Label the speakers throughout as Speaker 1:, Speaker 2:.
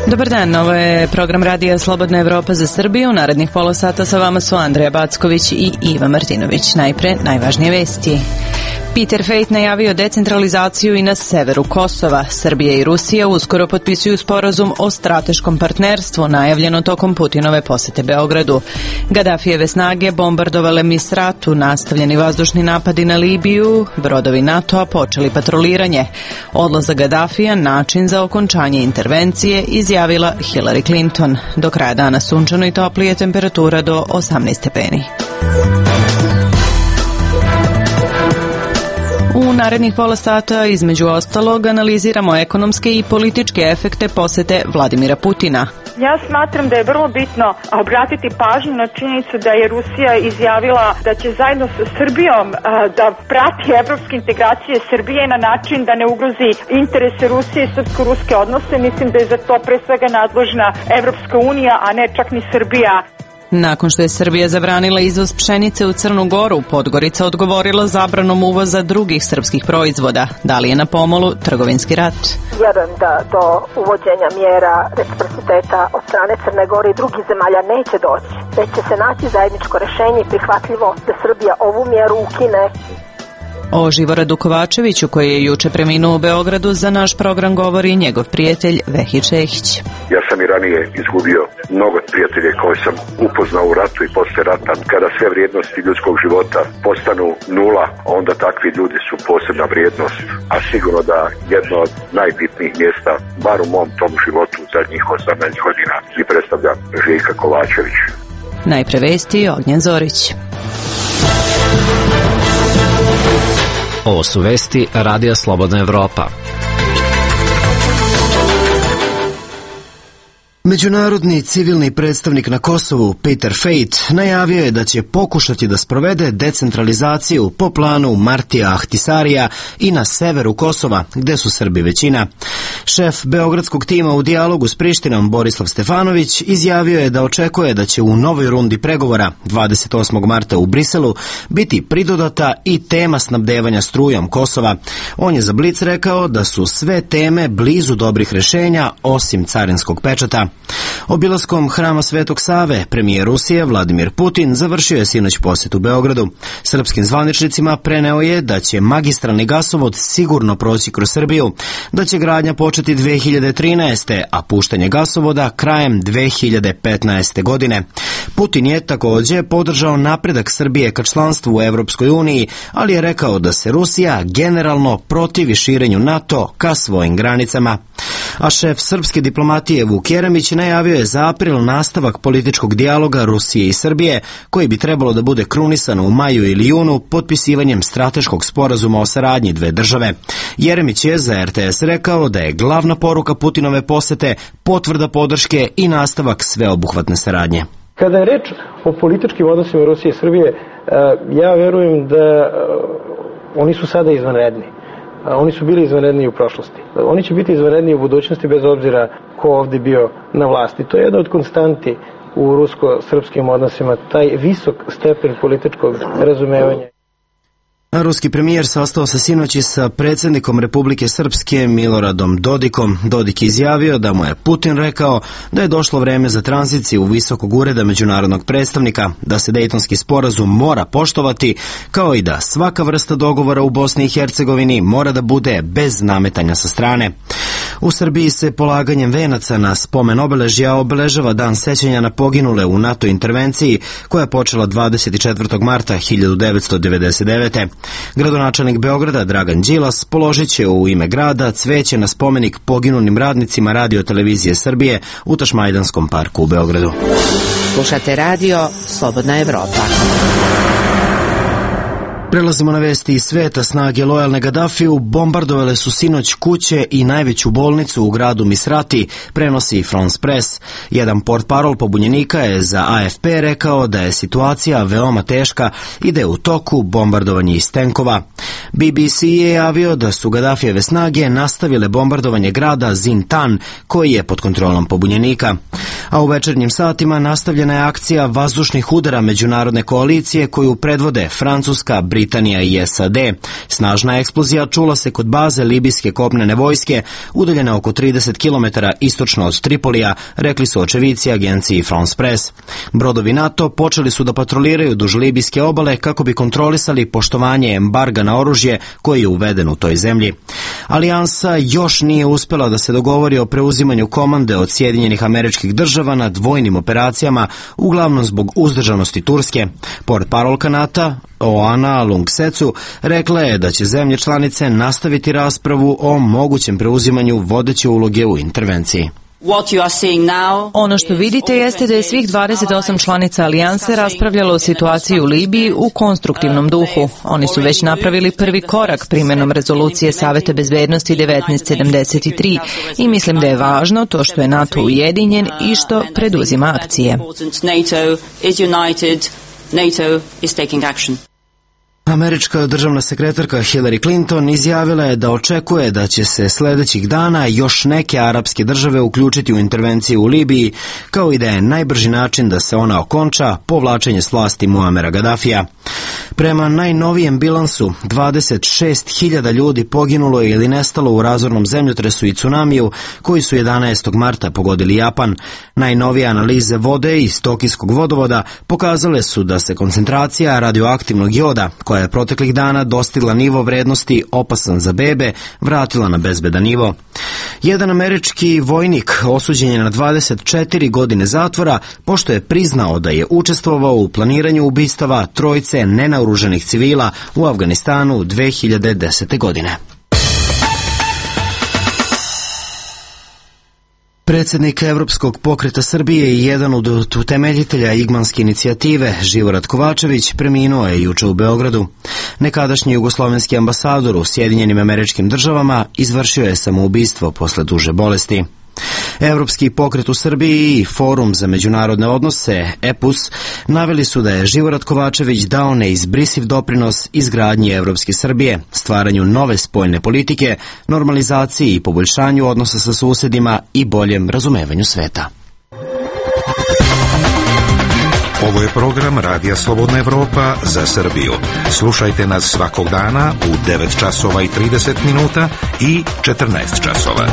Speaker 1: Dobar dan, ovo je program radija Slobodna Evropa za Srbiju. U narednih pola sata sa vama su Andreja Backović i Iva Martinović. Najpre, najvažnije vesti. Peter Fejt najavio decentralizaciju i na severu Kosova. Srbija i Rusija uskoro potpisuju sporazum o strateškom partnerstvu, najavljeno tokom Putinove posete Beogradu. Gadafijeve snage bombardovale Misratu, nastavljeni vazdušni napadi na Libiju, brodovi NATO-a počeli patroliranje. Odlazak Gadafija, način za okončanje intervencije, izjavila Hillary Clinton. Do kraja dana sunčano i toplije, temperatura do 18 stepeni. U narednih pola sata, između ostalog, analiziramo ekonomske i političke efekte posete Vladimira Putina.
Speaker 2: Ja smatram da je vrlo bitno obratiti pažnju na činjenicu da je Rusija izjavila da će zajedno sa Srbijom da prati evropske integracije Srbije na način da ne ugrozi interese Rusije i srpsko-ruske odnose. Mislim da je za to pre svega nadležna Evropska unija, a ne čak ni Srbija.
Speaker 1: Nakon što je Srbija zabranila izvoz pšenice u Crnu Goru, Podgorica odgovorila zabranom uvoza drugih srpskih proizvoda. Da li je na pomolu trgovinski rat?
Speaker 3: Vjerujem da do uvođenja mjera reciprociteta od strane Crne Gore i drugih zemalja neće doći. Već će se naći zajedničko rješenje i prihvatljivo da Srbija ovu mjeru ukine.
Speaker 1: O Živoradu Kovačeviću, koji je juče preminuo u Beogradu, za naš program govori njegov prijatelj Vehi Čehić.
Speaker 4: Ja sam i ranije izgubio mnogo prijatelje koje sam upoznao u ratu i posle rata. Kada sve vrijednosti ljudskog života postanu nula, onda takvi ljudi su posebna vrijednost. A sigurno da jedno od najbitnijih mjesta, bar u mom tom životu zadnjih 18 godina, i predstavlja Željka Kovačević.
Speaker 1: Najpre vesti, Ognjen Zorić.
Speaker 5: Ovo su vesti Radija Slobodna Evropa.
Speaker 6: Međunarodni civilni predstavnik na Kosovu, Peter Fejt, najavio je da će pokušati da sprovede decentralizaciju po planu Martija Ahtisarija i na severu Kosova, gde su Srbi većina. Šef beogradskog tima u dijalogu s Prištinom, Borislav Stefanović, izjavio je da očekuje da će u novoj rundi pregovora 28. marta u Briselu biti pridodata i tema snabdevanja strujom Kosova. On je za Blic rekao da su sve teme blizu dobrih rješenja, osim carinskog pečata. Obilaskom Hrama Svetog Save, premijer Rusije Vladimir Putin završio je sinoć posjet u Beogradu. Srpskim zvaničnicima preneo je da će magistralni gasovod sigurno proći kroz Srbiju, da će gradnja početi 2013. a puštanje gasovoda krajem 2015. godine. Putin je također podržao napredak Srbije ka članstvu u Evropskoj uniji, ali je rekao da se Rusija generalno protivi širenju NATO ka svojim granicama. A šef srpske diplomatije Vuk Jeremić najavio je za april nastavak političkog dijaloga Rusije i Srbije, koji bi trebalo da bude krunisan u maju ili junu potpisivanjem strateškog sporazuma o saradnji dve države. Jeremić je za RTS rekao da je glavna poruka Putinove posete potvrda podrške i nastavak sveobuhvatne saradnje.
Speaker 7: Kada je reč o političkim odnosima Rusije i Srbije, ja verujem da oni su sada izvanredni. Oni su bili izvanredni u prošlosti. Oni će biti izvanredni u budućnosti bez obzira ko ovdje bio na vlasti. To je jedna od konstanti u rusko-srpskim odnosima, taj visok stepen političkog razumevanja.
Speaker 6: Ruski premijer sastao se sinoći sa predsjednikom Republike Srpske Miloradom Dodikom. Dodik izjavio da mu je Putin rekao da je došlo vreme za tranziciju visokog ureda međunarodnog predstavnika, da se Dejtonski sporazum mora poštovati, kao i da svaka vrsta dogovora u Bosni i Hercegovini mora da bude bez nametanja sa strane. U Srbiji se polaganjem venaca na spomen obeležja obeležava dan sećanja na poginule u NATO intervenciji koja je počela 24. marta 1999. Gradonačelnik Beograda Dragan Đilas položit će u ime grada cveće na spomenik poginulim radnicima Radio televizije Srbije u Tašmajdanskom parku u Beogradu.
Speaker 1: Slušate radio Slobodna Evropa.
Speaker 6: Prelazimo na vesti iz sveta. Snage lojalne Gadafiju bombardovale su sinoć kuće i najveću bolnicu u gradu Misrati, prenosi France Press. Jedan portparol pobunjenika je za AFP rekao da je situacija veoma teška i da je u toku bombardovanje iz tenkova. BBC je javio da su Gadafijeve snage nastavile bombardovanje grada Zintan, koji je pod kontrolom pobunjenika. A u večernjim satima nastavljena je akcija vazdušnih udara međunarodne koalicije koju predvode Francuska, Britanija i SAD. Snažna eksplozija čula se kod baze libijske kopnene vojske, udaljene oko 30 km istočno od Tripolija, rekli su očevici agenciji France Press. Brodovi NATO počeli su da patroliraju duž libijske obale kako bi kontrolisali poštovanje embarga na oružje koji je uveden u toj zemlji. Alijansa još nije uspela da se dogovori o preuzimanju komande od Sjedinjenih Američkih Država nad vojnim operacijama, uglavnom zbog uzdržanosti Turske. Portparolka NATO Oana Lungsecu rekla je da će zemlje članice nastaviti raspravu o mogućem preuzimanju vodeće uloge u intervenciji.
Speaker 1: Ono što vidite jeste da je svih 28 članica alijanse raspravljalo o situaciji u Libiji u konstruktivnom duhu. Oni su već napravili prvi korak primjenom rezolucije Saveta bezbednosti 1973 i mislim da je važno to što je NATO ujedinjen i što preduzima akcije.
Speaker 6: Američka državna sekretarka Hillary Clinton izjavila je da očekuje da će se sledećih dana još neke arapske države uključiti u intervenciju u Libiji, kao i da je najbrži način da se ona okonča povlačenje s vlasti Muamera Gaddafija. Prema najnovijem bilansu, 26.000 ljudi poginulo je ili nestalo u razornom zemljotresu i tsunamiju koji su 11. marta pogodili Japan. Najnovije analize vode iz Tokijskog vodovoda pokazale su da se koncentracija radioaktivnog joda, koja je proteklih dana dostigla nivo vrednosti opasan za bebe, vratila na bezbedan nivo. Jedan američki vojnik osuđen je na 24 godine zatvora pošto je priznao da je učestvovao u planiranju ubistava trojice nenaoruženih civila u Afganistanu 2010. godine. Predsjednik Evropskog pokreta Srbije i jedan od utemeljitelja Igmanske inicijative, Živorad Kovačević, preminuo je juče u Beogradu. Nekadašnji jugoslovenski ambasador u Sjedinjenim Američkim Državama izvršio je samoubistvo posle duže bolesti. Evropski pokret u Srbiji i Forum za međunarodne odnose, EPUS, naveli su da je Živorad Kovačević dao neizbrisiv doprinos izgradnji Evropske Srbije, stvaranju nove spoljne politike, normalizaciji i poboljšanju odnosa sa susedima i boljem razumevanju sveta.
Speaker 8: Ovo je program Radija Slobodna Evropa za Srbiju. Slušajte nas svakog dana u 9 časova i 30 minuta i 14 časova.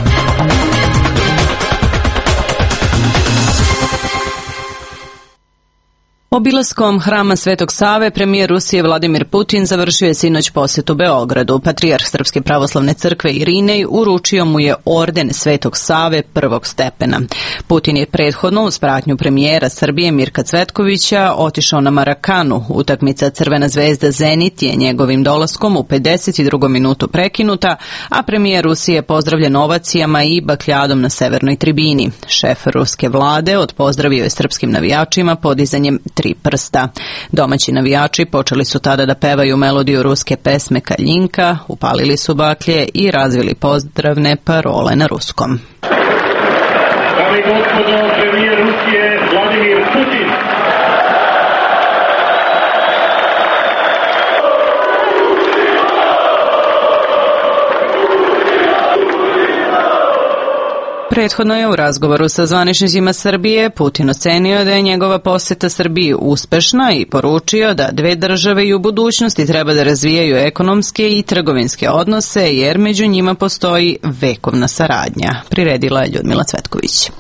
Speaker 1: Obilaskom hrama Svetog Save premijer Rusije Vladimir Putin završio je sinoć posjetu Beogradu. Patrijarh Srpske pravoslavne crkve Irinej uručio mu je orden Svetog Save prvog stepena. Putin je prethodno uz pratnju premijera Srbije Mirka Cvetkovića otišao na Marakanu. Utakmica Crvena zvezda Zenit je njegovim dolaskom u 52. minutu prekinuta, a premijer Rusije pozdravljen ovacijama i bakljadom na severnoj tribini. Šef ruske vlade odpozdravio je srpskim navijačima podizanjem 3 prsta. Domaći navijači počeli su tada da pevaju melodiju ruske pesme Kaljinka, upalili su baklje i razvili pozdravne parole na ruskom.
Speaker 9: Dame i gospodo, premijer Rusije Vladimir Putin.
Speaker 1: Prethodno je u razgovoru sa zvaničnicima Srbije Putin ocenio da je njegova poseta Srbiji uspešna i poručio da dve države i u budućnosti treba da razvijaju ekonomske i trgovinske odnose jer među njima postoji vekovna saradnja. Priredila je Ljudmila Cvetković.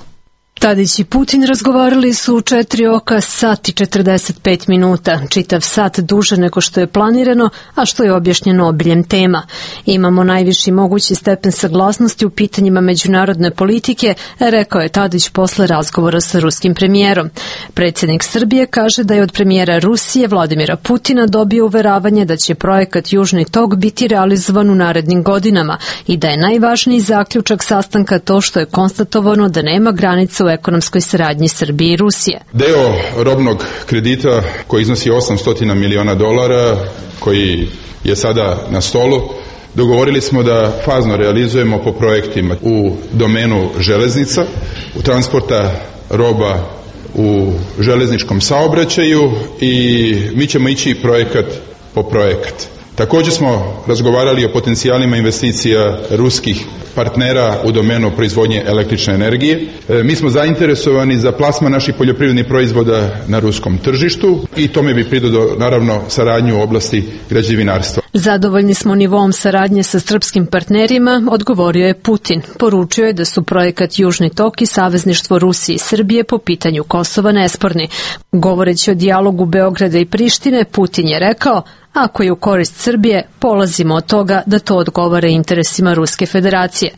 Speaker 10: Tadić i Putin razgovarali su u 4 oka sat i 45 minuta, čitav sat duže nego što je planirano, a što je objašnjeno obiljem tema. Imamo najviši mogući stepen saglasnosti u pitanjima međunarodne politike, rekao je Tadić posle razgovora sa ruskim premijerom. Predsjednik Srbije kaže da je od premijera Rusije Vladimira Putina dobio uveravanje da će projekat Južni tok biti realizovan u narednim godinama i da je najvažniji zaključak sastanka to što je konstatovano da nema granica u ekonomskoj saradnji Srbije i Rusije.
Speaker 11: Deo robnog kredita koji iznosi $800 miliona, koji je sada na stolu, dogovorili smo da fazno realizujemo po projektima u domenu železnica, u transporta roba u železničkom saobraćaju i mi ćemo ići projekat po projekat. Također smo razgovarali o potencijalima investicija ruskih partnera u domenu proizvodnje električne energije. Mi smo zainteresovani za plasman naših poljoprivrednih proizvoda na ruskom tržištu i tome bi pridodao naravno saradnju u oblasti građevinarstva.
Speaker 10: Zadovoljni smo nivom saradnje sa srpskim partnerima, odgovorio je Putin. Poručio je da su projekat Južni tok i savezništvo Rusije i Srbije po pitanju Kosova nesporni. Govoreći o dijalogu Beograda i Prištine, Putin je rekao: ako je u korist Srbije, polazimo od toga da to odgovara interesima Ruske federacije.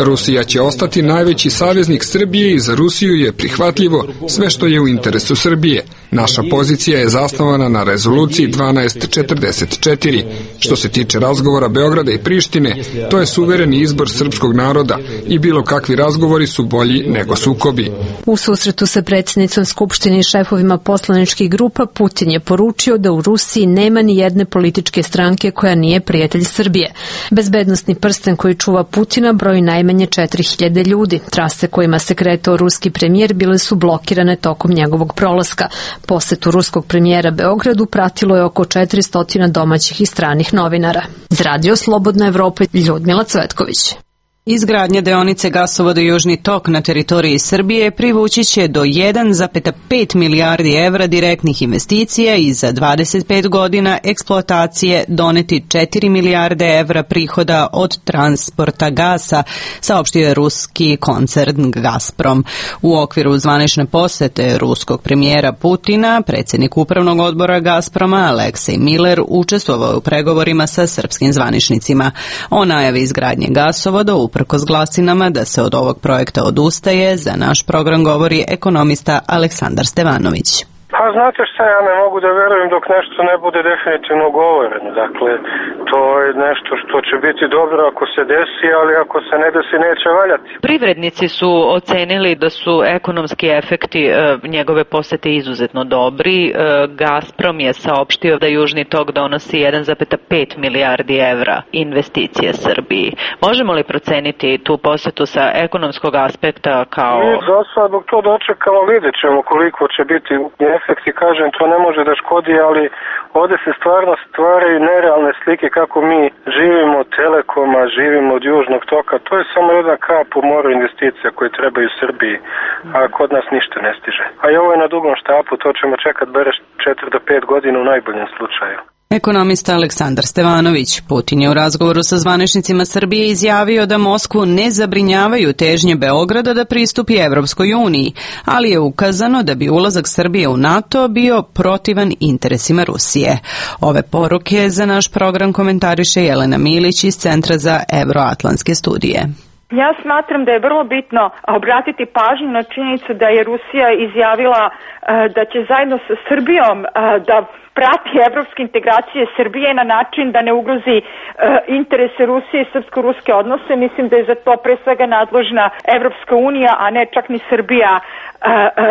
Speaker 12: Rusija će ostati najveći saveznik Srbije i za Rusiju je prihvatljivo sve što je u interesu Srbije. Naša pozicija je zasnovana na rezoluciji 1244. Što se tiče razgovora Beograda i Prištine, to je suvereni izbor srpskog naroda i bilo kakvi razgovori su bolji nego sukobi.
Speaker 10: U susretu sa predsjednicom Skupštine i šefovima poslaničkih grupa, Putin je poručio da u Rusiji nema ni jedne političke stranke koja nije prijatelj Srbije. Bezbednosni prsten koji čuva Putina broji najmanje 4000 ljudi. Trase kojima se kretao ruski premijer bile su blokirane tokom njegovog prolaska. Posetu ruskog premijera Beogradu pratilo je oko 400 domaćih i stranih novinara. Za Radio Slobodna Evropa, Ljudmila Cvetković.
Speaker 1: Izgradnja deonice gasovoda Južni tok na teritoriji Srbije privući će do 1,5 milijardi evra direktnih investicija i za 25 godina eksploatacije doneti 4 milijarde evra prihoda od transporta gasa, saopštio je ruski koncern Gazprom. U okviru zvanične posete ruskog premijera Putina, predsjednik upravnog odbora Gazproma Aleksej Miller učestvovao je u pregovorima sa srpskim zvaničnicima. O najavi izgradnje gasovoda uprkos glasinama da se od ovog projekta odustaje, za naš program govori ekonomista Aleksandar Stevanović.
Speaker 13: Pa znate šta, ja ne mogu da verujem dok nešto ne bude definitivno govoreno. Dakle, to je nešto što će biti dobro ako se desi, ali ako se ne desi neće valjati.
Speaker 14: Privrednici su ocenili da su ekonomski efekti njegove posete izuzetno dobri. Gazprom je saopštio da Južni tok donosi 1,5 milijardi evra investicije Srbiji. Možemo li proceniti tu posetu sa ekonomskog aspekta kao...
Speaker 13: Mi za sad dok to dočekamo vidjet ćemo koliko će biti efekti, kažem, to ne može da škodi, ali ovdje se stvarno stvaraju nerealne slike kako mi živimo od Telekoma, živimo od Južnog toka. To je samo jedna kap u moru investicija koje trebaju Srbiji, a kod nas ništa ne stiže. A i ovo je na dugom štapu, to ćemo čekat bereš 4 do 5 godina u najboljem slučaju.
Speaker 1: Ekonomista Aleksandar Stevanović. Putin je u razgovoru sa zvaničnicima Srbije izjavio da Moskvu ne zabrinjavaju težnje Beograda da pristupi Evropskoj uniji, ali je ukazano da bi ulazak Srbije u NATO bio protivan interesima Rusije. Ove poruke za naš program komentariše Jelena Milić iz Centra za Evroatlantske studije.
Speaker 2: Ja smatram da je vrlo bitno obratiti pažnju na činjenicu da je Rusija izjavila da će zajedno sa Srbijom da prati evropske integracije Srbije na način da ne ugrozi interese Rusije i srpsko-ruske odnose. Mislim da je za to pre svega nadležna Evropska unija, a ne čak ni Srbija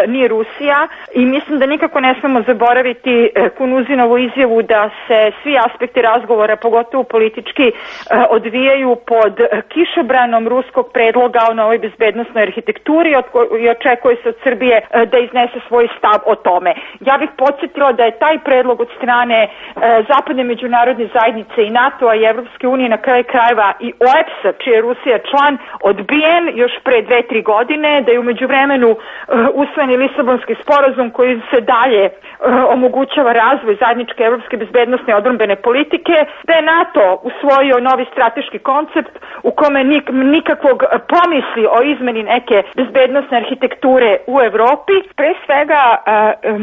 Speaker 2: ni Rusija. I mislim da nikako ne smemo zaboraviti Kunuzinovu izjavu da se svi aspekti razgovora, pogotovo politički, odvijaju pod kišobranom ruskog predloga o novoj bezbednosnoj arhitekturi i očekuje se od Srbije da iznese svoj stav o tome. Ja bih podsjetila da je taj predlog od strane zapadne međunarodne zajednice i NATO-a i Evropske unije, na kraju krajeva i OEBS-a, čiji je Rusija član, odbijen još pre 2-3 godine, da je u međuvremenu usvojeni Lisabonski sporazum koji se dalje omogućava razvoj zajedničke evropske bezbednosne i odbrambene politike, da je NATO usvojio novi strateški koncept u kome nikakvog pomisli o izmeni neke bezbednosne arhitekture u Evropi. Pre svega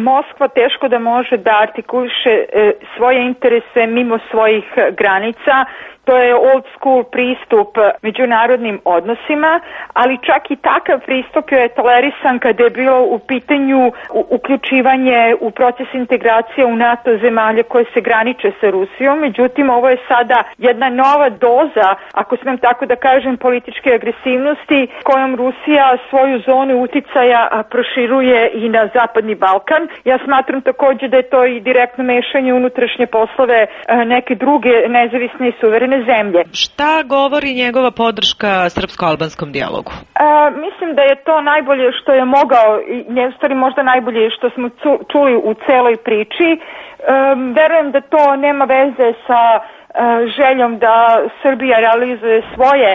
Speaker 2: Moskva teško da može da artikuliše svoje interese mimo svojih granica. To je old school pristup međunarodnim odnosima, ali čak i takav pristup je tolerisan kada je bilo u pitanju uključivanje u proces integracije u NATO zemalje koje se graniče sa Rusijom. Međutim, ovo je sada jedna nova doza, ako smem tako da kažem, političke agresivnosti kojom Rusija svoju zonu uticaja proširuje i na Zapadni Balkan. Ja smatram također da je to i direktno direktno mešanje u unutrašnje poslove neke druge nezavisne i suverene zemlje.
Speaker 14: Šta govori njegova podrška srpsko-albanskom dijalogu?
Speaker 2: Mislim da je to najbolje što je mogao, u stvari možda najbolje što smo čuli u celoj priči. Verujem da to nema veze sa željom da Srbija realizuje svoje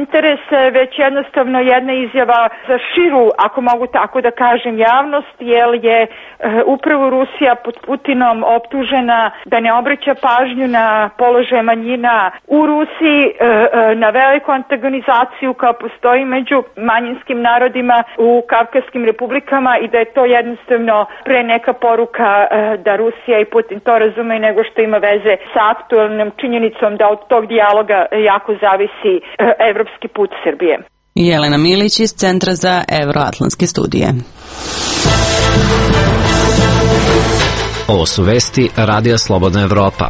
Speaker 2: interese, već jednostavno jedna izjava za širu, ako mogu tako da kažem, javnost, jer je upravo Rusija pod Putinom optužena da ne obraća pažnju na položaj manjina u Rusiji, na veliku antagonizaciju koja postoji među manjinskim narodima u Kavkazskim republikama i da je to jednostavno pre neka poruka da Rusija i Putin to razume nego što ima veze sa aktualnom činjenicom da od tog dijaloga jako zavisi evropski put Srbije.
Speaker 1: Jelena Milić iz Centra za Evroatlantske studije.
Speaker 5: Ovo su vesti Radija Slobodna Evropa.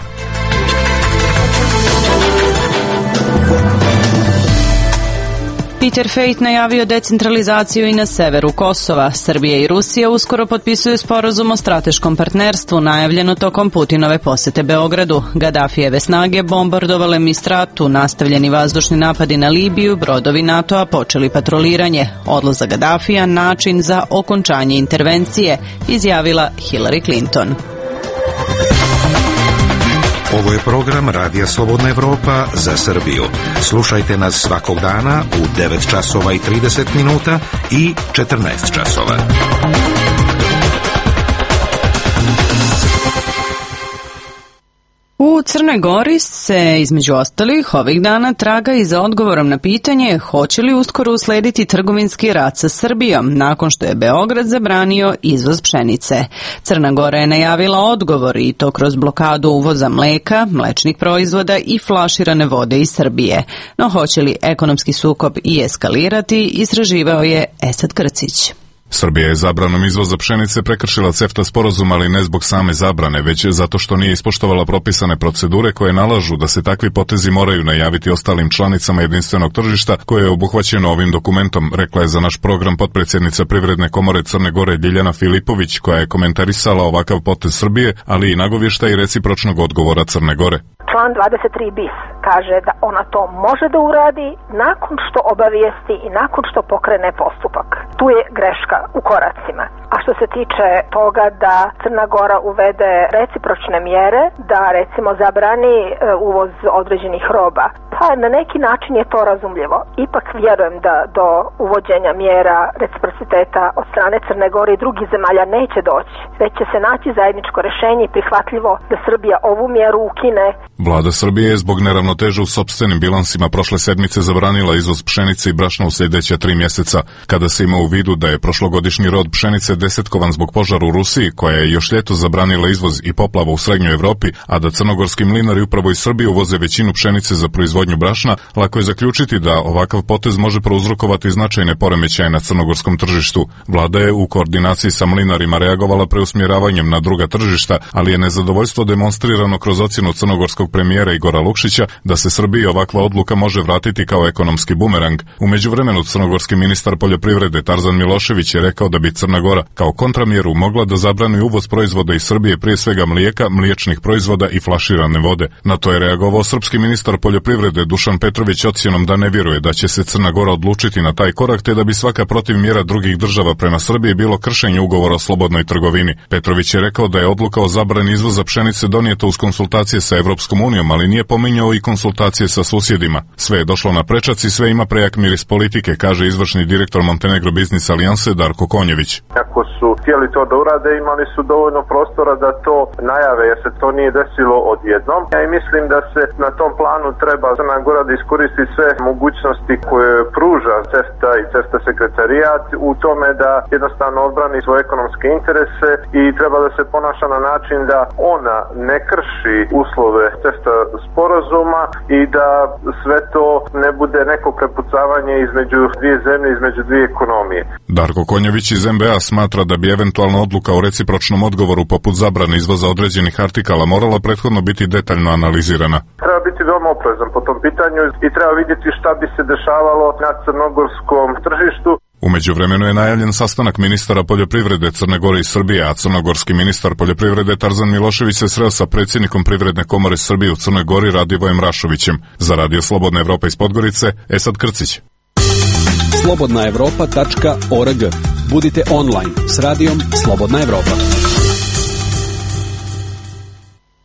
Speaker 1: Peter Fejt najavio decentralizaciju i na severu Kosova. Srbija i Rusija uskoro potpisuju sporazum o strateškom partnerstvu, najavljeno tokom Putinove posete Beogradu. Gadafijeve snage bombardovale Mistratu, nastavljeni vazdušni napadi na Libiju, brodovi NATO-a počeli patroliranje. Odlazak Gadafija način za okončanje intervencije, izjavila Hillary Clinton.
Speaker 8: Ovo je program Radija Slobodna Evropa za Srbiju. Slušajte nas svakog dana u 9 časova i 30 minuta i 14 časova.
Speaker 1: U Crnoj Gori se, između ostalih, ovih dana traga i za odgovorom na pitanje hoće li uskoro uslediti trgovinski rat sa Srbijom, nakon što je Beograd zabranio izvoz pšenice. Crna Gora je najavila odgovor i to kroz blokadu uvoza mleka, mlečnih proizvoda i flaširane vode iz Srbije. No hoće li ekonomski sukob i eskalirati, istraživao je Esad Krcić.
Speaker 15: Srbija je zabranom izvoza pšenice prekršila CEFTA sporazum, ali ne zbog same zabrane, već zato što nije ispoštovala propisane procedure koje nalažu da se takvi potezi moraju najaviti ostalim članicama jedinstvenog tržišta koje je obuhvaćeno ovim dokumentom, rekla je za naš program potpredsjednica Privredne komore Crne Gore Ljiljana Filipović, koja je komentarisala ovakav potez Srbije, ali i nagovještaj recipročnog odgovora Crne Gore.
Speaker 3: Član 23 bis kaže da ona to može da uradi nakon što obavijesti i nakon što pokrene postupak. Tu je greška u koracima. A što se tiče toga da Crna Gora uvede recipročne mjere, da recimo zabrani uvoz određenih roba, pa na neki način je to razumljivo. Ipak vjerujem da do uvođenja mjera reciprociteta od strane Crne Gore i drugih zemalja neće doći, već će se naći zajedničko rješenje i prihvatljivo da Srbija ovu mjeru ukine.
Speaker 15: Vlada Srbije je zbog neravnoteže u sopstvenim bilansima prošle sedmice zabranila izvoz pšenice i brašna u sljedeća 3 mjeseca. Kada se ima u vidu da je prošlogodišnji rod pšenice desetkovan zbog požara u Rusiji, koja je još ljeto zabranila izvoz i poplava u srednjoj Evropi, a da crnogorski mlinari upravo iz Srbije uvoze većinu pšenice za proizvodnju brašna, lako je zaključiti da ovakav potez može prouzrokovati značajne poremećaje na crnogorskom tržištu. Vlada je u koordinaciji sa mlinarima reagovala preusmjeravanjem na druga tržišta, ali je nezadovoljstvo demonstrirano kroz ocjenu crnogorskog premijera Igora Lukšića da se Srbiji ovakva odluka može vratiti kao ekonomski bumerang. U međuvremenu crnogorski ministar poljoprivrede Tarzan Milošević je rekao da bi Crna Gora kao kontramjeru mogla da zabrani uvoz proizvoda iz Srbije, prije svega mlijeka, mliječnih proizvoda i flaširane vode. Na to je reagovao srpski ministar poljoprivrede Dušan Petrović ocjenom da ne vjeruje da će se Crna Gora odlučiti na taj korak, te da bi svaka protivmjera drugih država prema Srbiji bilo kršenje ugovora o slobodnoj trgovini. Petrović je rekao da je odluka o zabrani izvoza pšenice donijeta uz konsultacije sa Evropskom unijom, ali nije pominjao i konsultacije sa susjedima. Sve je došlo na prečac i sve ima prejak miris politike, kaže izvršni direktor Montenegro Business Alijanse Darko Konjević.
Speaker 13: Ako su htjeli to da urade, imali su dovoljno prostora da to najave, jer se to nije desilo odjednom. Ja i mislim da se na tom planu treba Crna Gora da iskoristi sve mogućnosti koje pruža CEFTA i CEFTA sekretarijat u tome da jednostavno odbrani svoje ekonomske interese i treba da se ponaša na način da ona ne krši uslove CEFTA sporazuma i da sve to ne bude neko prepucavanje između dvije zemlje, između dvije ekonomije.
Speaker 15: Darko Konjević iz MBA smatra da bi eventualna odluka o recipročnom odgovoru poput zabrane izvoza određenih artikala morala prethodno biti detaljno analizirana.
Speaker 13: Treba biti veoma oprezan po tom pitanju i treba vidjeti šta bi se dešavalo na crnogorskom tržištu.
Speaker 15: U međuvremenu je najavljen sastanak ministara poljoprivrede Crne Gore i Srbije, a crnogorski ministar poljoprivrede Tarzan Milošević se sreo sa predsjednikom Privredne komore Srbije u Crnoj Gori Radivojem Rašovićem. Za Radio Slobodna Evropa iz Podgorice, Esad Krcić.
Speaker 16: slobodnaevropa.org. Budite online s radijom Slobodna Evropa.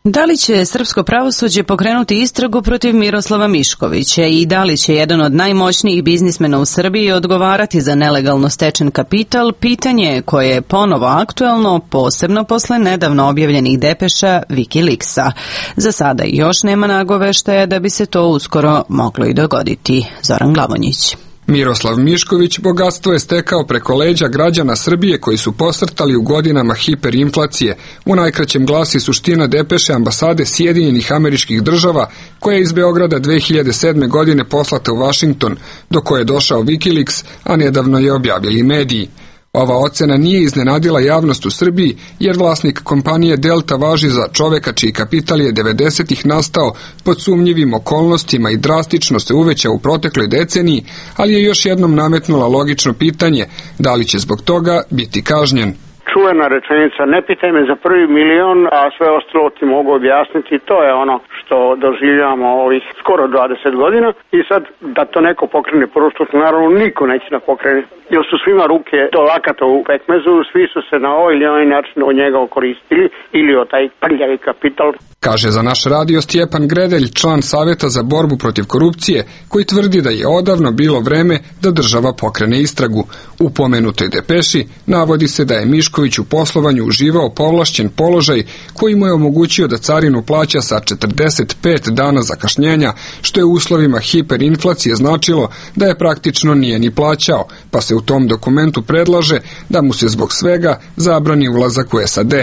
Speaker 1: Da li će srpsko pravosuđe pokrenuti istragu protiv Miroslava Miškovića i da li će jedan od najmoćnijih biznismena u Srbiji odgovarati za nelegalno stečen kapital, pitanje koje je ponovo aktuelno, posebno posle nedavno objavljenih depeša Wikileaksa. Za sada još nema nagoveštaja da bi se to uskoro moglo i dogoditi. Zoran Glavonjić.
Speaker 12: Miroslav Mišković bogatstvo je stekao preko leđa građana Srbije koji su posrtali u godinama hiperinflacije. U najkraćem glasi suština depeše ambasade Sjedinjenih Američkih Država koja je iz Beograda 2007. godine poslata u Vašington, do koje je došao Wikileaks, a nedavno je objavili mediji. Ova ocena nije iznenadila javnost u Srbiji, jer vlasnik kompanije Delta važi za čoveka čiji kapital je 90-ih nastao pod sumnjivim okolnostima i drastično se uvećao u protekloj deceniji, ali je još jednom nametnula logično pitanje da li će zbog toga biti kažnjen.
Speaker 17: Čuvena rečenica, ne pitaj me za prvi milion, a sve ostalo ti mogu objasniti, to je ono što doživljavamo ovih skoro 20 godina i sad da to neko pokrene prvo, naravno niko neće da pokrene, jer su svima ruke do lakata u pekmezu, svi su se na ovaj ili onaj način od njega okoristili ili od taj prljavi kapital.
Speaker 12: Kaže za naš radio Stjepan Gredelj, član Saveta za borbu protiv korupcije, koji tvrdi da je odavno bilo vreme da država pokrene istragu. U pomenutoj depeši navodi se da je Mišković u poslovanju uživao povlašćen položaj koji mu je omogućio da carinu plaća sa 45 dana zakašnjenja, što je u uslovima hiperinflacije značilo da je praktično nije ni plaćao, pa se u tom dokumentu predlaže da mu se zbog svega zabrani ulazak u SAD.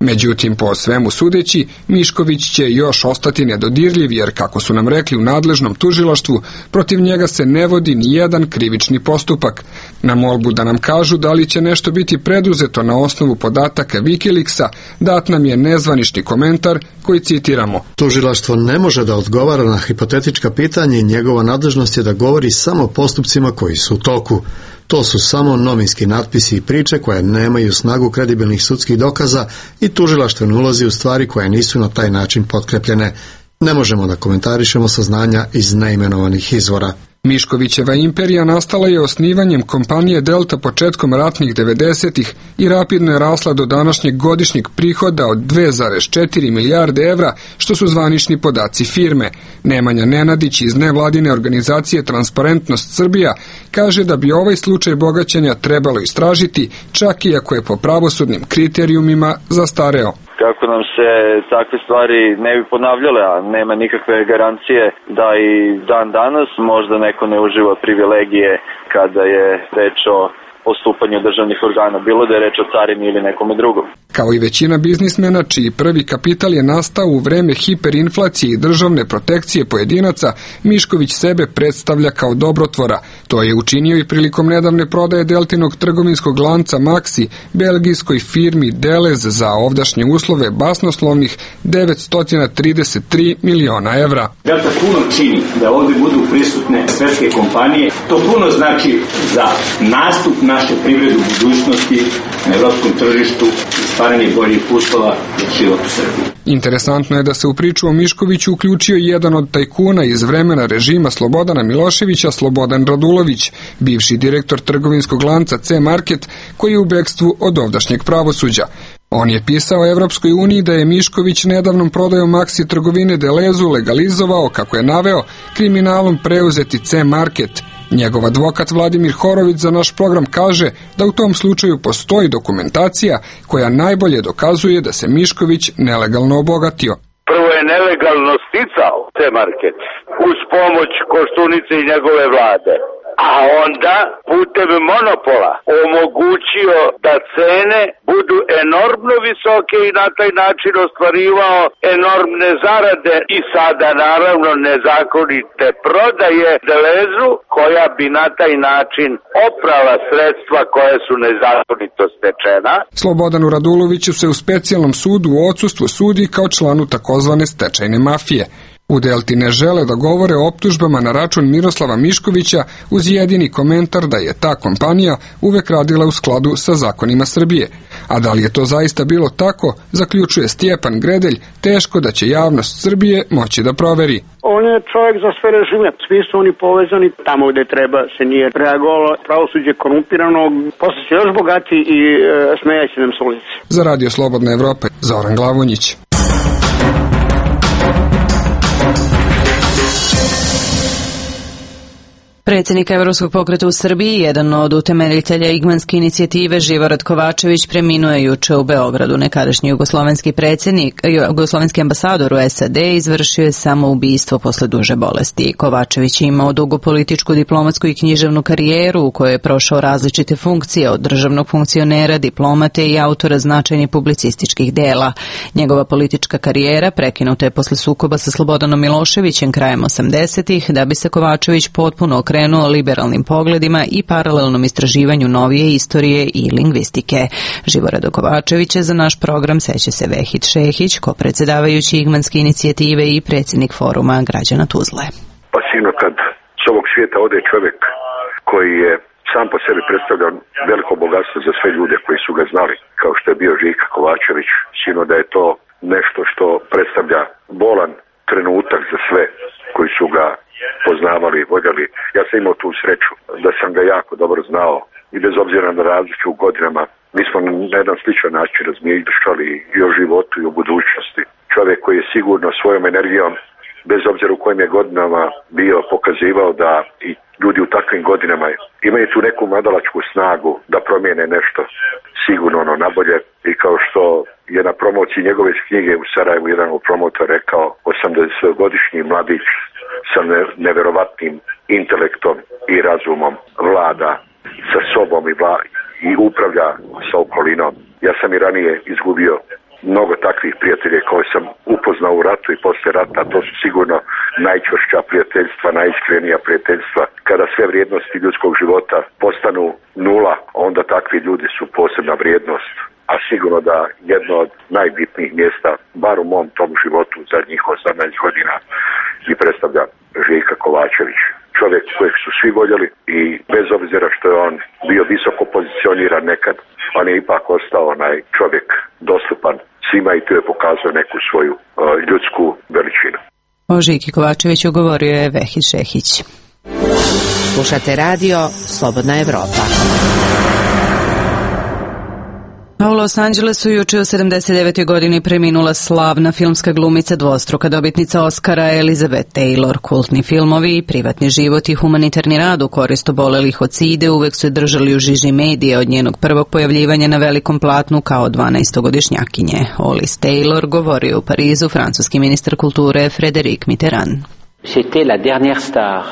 Speaker 12: Međutim, po svemu sudeći, Mišković će još ostati nedodirljiv jer, kako su nam rekli u nadležnom tužilaštvu, protiv njega se ne vodi ni jedan krivični postupak. Na molbu da nam kažu da li će nešto biti preduzeto na osnovu podataka Wikileaksa, dat nam je nezvanični komentar koji citiramo.
Speaker 18: Tužilaštvo ne može da odgovara na hipotetička pitanja i njegova nadležnost je da govori samo o postupcima koji su u toku. To su samo novinski natpisi i priče koje nemaju snagu kredibilnih sudskih dokaza i tužilaštvo ne ulazi u stvari koje nisu na taj način potkrepljene. Ne možemo da komentarišemo saznanja iz neimenovanih izvora.
Speaker 12: Miškovićeva imperija nastala je osnivanjem kompanije Delta početkom ratnih 90-ih i rapidno je rasla do današnjeg godišnjeg prihoda od 2,4 milijarde evra, što su zvanični podaci firme. Nemanja Nenadić iz nevladine organizacije Transparentnost Srbija kaže da bi ovaj slučaj bogaćenja trebalo istražiti, čak i ako je po pravosudnim kriterijumima zastareo.
Speaker 19: Kako nam se takve stvari ne bi ponavljale, a nema nikakve garancije da i dan danas možda neko ne uživa privilegije kada je reč o postupanju državnih organa, bilo da je reč o carini ili nekome drugom.
Speaker 12: Kao i većina biznismena čiji prvi kapital je nastao u vreme hiperinflacije i državne protekcije pojedinaca, Mišković sebe predstavlja kao dobrotvora. To je učinio i prilikom nedavne prodaje Deltinog trgovinskog lanca Maxi, belgijskoj firmi Delez za ovdašnje uslove basnoslovnih 933 miliona evra.
Speaker 20: Delta puno čini da ovdje budu prisutne svetske kompanije. To puno znači za nastup naše privrede u budućnosti na evropskom tržištu i stvaranje boljih uslova za život u Srbiji.
Speaker 12: Interesantno je da se u priču o Miškoviću uključio jedan od tajkuna iz vremena režima Slobodana Miloševića, Slobodan Radulović, bivši direktor trgovinskog lanca C-Market, koji je u bekstvu od ovdašnjeg pravosuđa. On je pisao Evropskoj uniji da je Mišković nedavnom prodajom Maxi trgovine Delezu legalizovao, kako je naveo, kriminalom preuzeti C-Market. Njegov advokat Vladimir Horović za naš program kaže da u tom slučaju postoji dokumentacija koja najbolje dokazuje da se Mišković nelegalno obogatio.
Speaker 21: Prvo je nelegalno sticao C-Market uz pomoć Koštunice i njegove vlade, a onda putem monopola omogućio da cene budu enormno visoke i na taj način ostvarivao enormne zarade i sada naravno nezakonite prodaje Delezu koja bi na taj način oprala sredstva koje su nezakonito stečena.
Speaker 12: Slobodanu Raduloviću se u specijalnom sudu u odsustvu sudi kao članu takozvane stečajne mafije. U Delti ne žele da govore o optužbama na račun Miroslava Miškovića uz jedini komentar da je ta kompanija uvek radila u skladu sa zakonima Srbije. A da li je to zaista bilo tako, zaključuje Stjepan Gredelj, teško da će javnost Srbije moći da proveri.
Speaker 17: On je čovjek za sve režime, svi su oni povezani, tamo gde treba se nije reagovalo, pravosuđe korumpirano, posle se još bogati i smejaće nam s ulici.
Speaker 12: Za Radio Slobodna Evropa, Zoran Glavonjić.
Speaker 1: Predsjednik Evropskog pokreta u Srbiji, jedan od utemeljitelja Igmanske inicijative, Živorad Kovačević, preminuo je juče u Beogradu. Nekadašnji jugoslovenski ambasador u SAD izvršio je samoubistvo posle duže bolesti. Kovačević je imao dugu političku, diplomatsku i književnu karijeru u kojoj je prošao različite funkcije, od državnog funkcionera, diplomate i autora značajnih publicističkih dela. Njegova politička karijera prekinuta je posle sukoba sa Slobodanom Miloševićem krajem 80-ih, da bi se Kovačević potpuno okrenuo liberalnim pogledima i paralelnom istraživanju novije istorije i lingvistike. Živorado Kovačevića za naš program seća se Vehid Šehić, ko-predsjedavajući Igmanske inicijative i predsjednik foruma građana Tuzle.
Speaker 4: Pa sino kad s ovog svijeta ode čovjek koji je sam po sebi predstavljao veliko bogatstvo za sve ljude koji su ga znali, kao što je bio Žika Kovačević, sino da je to nešto što predstavlja bolan trenutak za sve koji su ga poznavali i voljeli. Ja sam imao tu sreću da sam ga jako dobro znao i bez obzira na razlike u godinama, mi smo na jedan sličan način razmišljali i o životu i o budućnosti. Čovjek koji je sigurno svojom energijom, bez obzira u kojim je godinama bio, pokazivao da i ljudi u takvim godinama imaju tu neku mladalačku snagu da promijene nešto sigurno ono nabolje. I kao što je na promociji njegove knjige u Sarajevu jedan od promotora rekao, 80-godišnji mladić sa neverovatnim intelektom i razumom vlada sa sobom i upravlja sa okolinom. Ja sam i ranije izgubio mnogo takvih prijatelja koje sam upoznao u ratu i poslije rata. To su sigurno najčvršća prijateljstva, najiskrenija prijateljstva. Kada sve vrijednosti ljudskog života postanu nula, onda takvi ljudi su posebna vrijednost. A sigurno da jedno od najbitnijih mjesta, bar u mom tom životu zadnjih 18 godina, i predstavlja Žika Kovačević. Čovjek kojeg su svi voljeli i bez obzira što je on bio visoko pozicioniran nekad, on je ipak ostao onaj čovjek dostupan svima i tu je pokazao neku svoju ljudsku veličinu.
Speaker 1: O Žiki Kovačeviću govorio je Vehid Šehić.
Speaker 22: Slušate radio Slobodna Evropa.
Speaker 1: A u Los Angelesu juče u 79. godini preminula slavna filmska glumica, dvostruka dobitnica Oscara Elizabeth Taylor. Kultni filmovi, privatni život i humanitarni rad u korist obolelih od side uvek su držali u žiži medije od njenog prvog pojavljivanja na velikom platnu kao 12-godišnjakinje. O Liz Taylor govorio u Parizu francuski ministar kulture Frédéric Mitterrand.
Speaker 22: C'était la dernière star.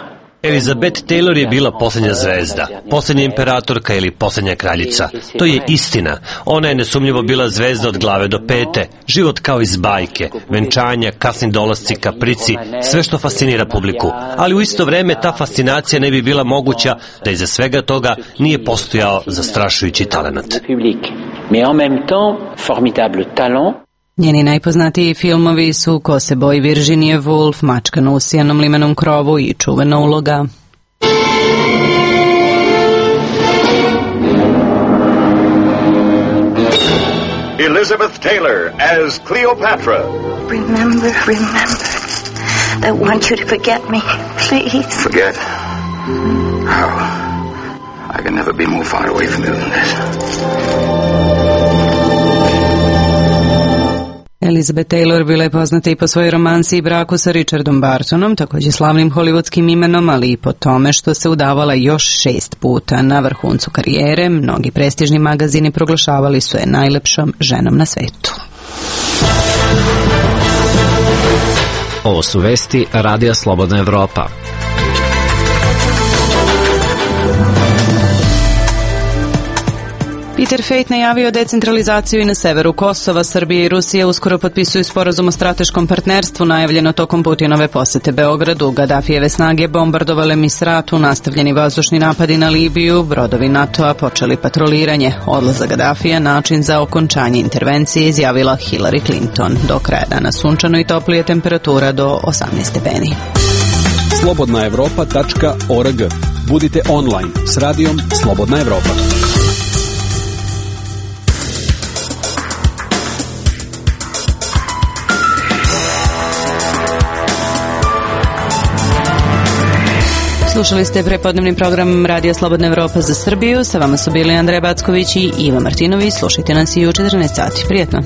Speaker 23: Elizabeth Taylor je bila posljednja zvezda, posljednja imperatorka ili posljednja kraljica. To je istina. Ona je nesumnjivo bila zvezda od glave do pete. Život kao iz bajke, venčanja, kasni dolasci, kaprici, sve što fascinira publiku. Ali u isto vreme ta fascinacija ne bi bila moguća da iza svega toga nije postojao zastrašujući talenat.
Speaker 22: Mais en même temps, formidable talent.
Speaker 1: Njeni najpoznatiji filmovi su Ko se boji Virginie Woolf, Mačka na usijanom limenom krovu i Čuvena uloga.
Speaker 24: Elizabeth Taylor as Cleopatra.
Speaker 25: Remember I want you to forget me, please.
Speaker 24: Forget? How? I can never be more far away from you than this.
Speaker 1: Elizabeth Taylor bila je poznata i po svojoj romansi i braku sa Richardom Bartonom, također slavnim hollywoodskim imenom, ali i po tome što se udavala još 6 puta. Na vrhuncu karijere, mnogi prestižni magazini proglašavali su je najlepšom ženom na svetu.
Speaker 5: Ovo su vesti Radija Slobodna Evropa.
Speaker 1: Peter Peter Fejt najavio decentralizaciju i na severu Kosova. Srbija i Rusija uskoro potpisuju sporazum o strateškom partnerstvu najavljeno tokom Putinove posete Beogradu. Gadafijeve snage bombardovale Misratu, nastavljeni vazdušni napadi na Libiju, brodovi NATO-a počeli patroliranje. Odlazak Gadafija način za okončanje intervencije, izjavila Hillary Clinton. Do kraja dana sunčano i toplije, temperatura do 18 stepeni.
Speaker 16: slobodnaevropa.org. Budite online s radijom Slobodna Evropa.
Speaker 1: Slušali ste prepodnevni program Radija Slobodna Evropa za Srbiju. Sa vama su bili Andreja Backović i Iva Martinović. Slušajte nas i u 14 sati. Prijetno.